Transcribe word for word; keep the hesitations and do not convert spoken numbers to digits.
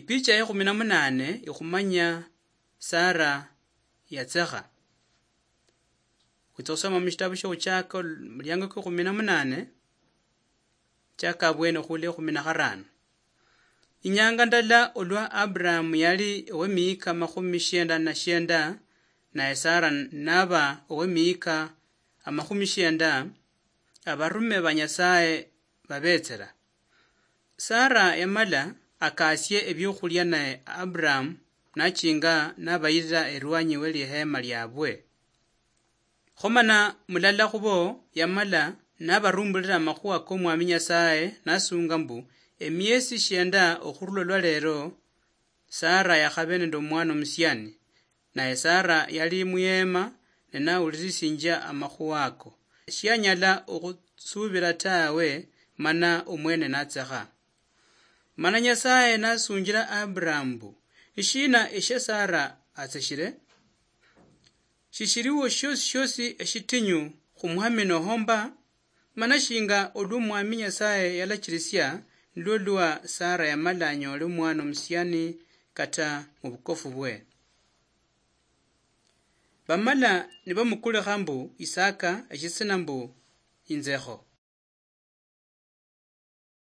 Picha ya ekhumi na munane ikhumanya Sara yatsekha. Khwitsa khusoma mushitabu shiokhutshaka, omuliango kwa ekhumi na munane, chaka abwene khula ekhumi na kharano. Inyanga ndala olwa Abrahamu yali owemiyika makhumi shienda na shienda, naye Sara naba owemiyika amakhumi shienda, abarume ba Nyasaye babetsera. Sara yamala akasie ebiokhulia, naye Abrahamu nachinga nabayirira erwanyi we lihema liabwe. Khomana mulala khubo yamala nabarumbulira amakhuwa k'Omwami Nyasaye, nasunga mbu, emiesi shienda okhurula olwa lero, Sara yakhabe nende omwana omusiani, naye Sara yali muyema ne nawulirisinjia amakhuwa ako. Shianyala okhusubira tawe, mana omwene natsekha. Mana Nyasaye nasunjira Abrahamu mbu, "Nishina eshia Sara atseshire? Shishiriwo shiosi shiosi eshitinyu khumuhaminoho mba?" Mana shinga olwa Omwami Nyasaye yalachirisia, nilwo lwa Sara yamala anyole omwana omusiani kata mubukofu bwe. Bamala nibamukulikha mbu Isaka, eshitsina mbu inzekho.